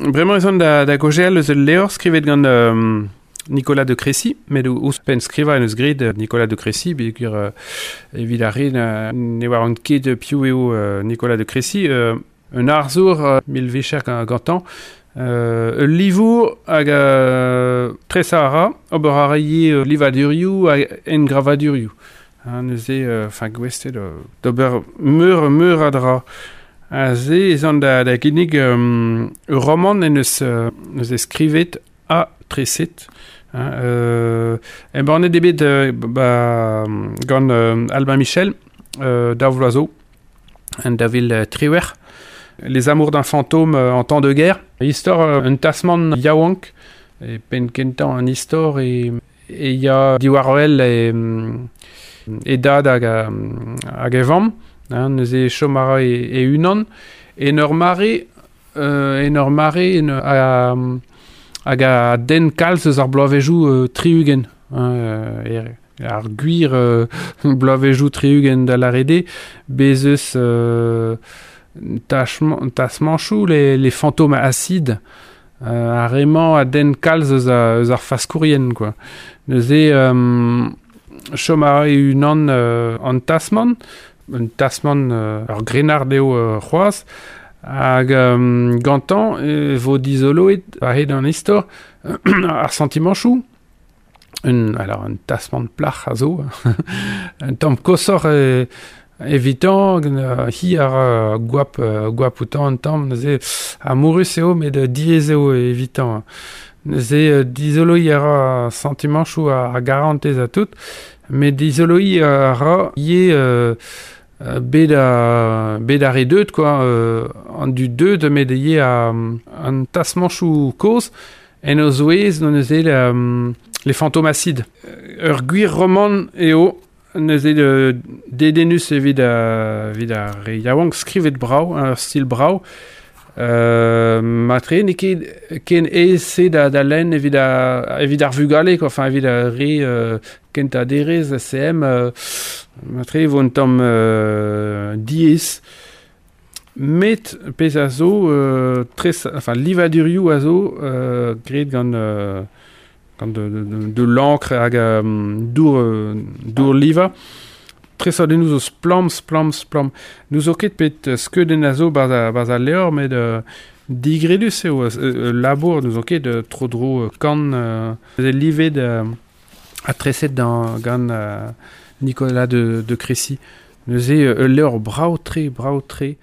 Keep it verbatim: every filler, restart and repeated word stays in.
Bremañ ez an da, da gaozeal eus ul levr skrivet gant um, Nicolas de Crécy, met ouzhpenn skrivañ en eus graet Nicolas de Crécy, peogwir uh, evit ar re ne oaront ket piv eo uh, Nicolas de Crécy, uh, un arzour uh, mil vicher gantañ, uh, ul livour hag uh, tresañ a ra, ober a ra ivez livadurioù hag engravadurioù. Ha neuze, enfin, gouest eo d'ober meur meur a dra. Aze ez an da, da ginnig um, ur romant en eus, uh, neuze skrivet ha treset. Hein, euh, embannet eo bet euh, ba, gant euh, Albin Michel, euh, daou vloaz zo, en daou vil triwec'h. Les amours d'un fantôme euh, en temps de guerre. Istor euh, un tasmant yaouank, e penn kentañ an istor e, e ya diwar-wel e, e dad hag, hag e vamm, hein, neuze chom a ra e, e unan, en ur mare, euh, en ur mare en, a, hag a denn kalz eus ar bloavezhioù euh, tri-ugent, hein, euh, ar gwir euh, bloavezhioù tri-ugent da lâret eo, bez eus euh, tasmanchoù, les, les fantômes acides, euh, ar re-mañ a denn kalz eus, a, eus ar faskourien, quoi. Neuze, euh, chom a ra e unan euh, an tasmant, un tasmant euh, ur grennard eo euh, c'hoazh, hag euh, gantañ e vo dizoloet a-hed an istor ar santimanchoù. Un, alors, un tasmant plac'h a zo, un tamm koshoc'h e, evitañ, hi a ra goap, goap outañ un tamm, neuze amourus eo, met diaes eo evitañ. Neuze dizoloiñ a ra santimanchoù a garantez ha tout, met dizoloiñ a ra ivez euh, bet a, bet ar re deut, quoi, euh, an dud deut, met ivez a, an tasmanchoù kozh, en o zouez, neuze euh, les fantômes acides. Ur gwir romant eo, neuze de, dedennus evit a, evit ar re yaouank, skrivet brav, ur stil brav. Euh, matre n'eo ket ken aes-se da, da lenn evit, a, evit ar vugale, quoi, enfin evit ar re euh, kentañ derez, C M, euh, matre e vo un tamm euh, diaes. Met pezh a zo, euh, tres, enfin, livadurioù a zo, euh, graet gant, euh, gant de, de, de, de l'encre hag euh, dour, euh, dour liva. Tresadennoù zo splann, splann, splann. N'ouzo ket pet skeudenn a zo barzh a, barzh al levr, met euh, digredus eo, euh, labour n'ouzo ket euh, tro-dro kan euh, livet euh, ha treset dans, gant euh, Nicolas de, de Crécy. Neuze euh, ul levr brav-tre, brav-tre.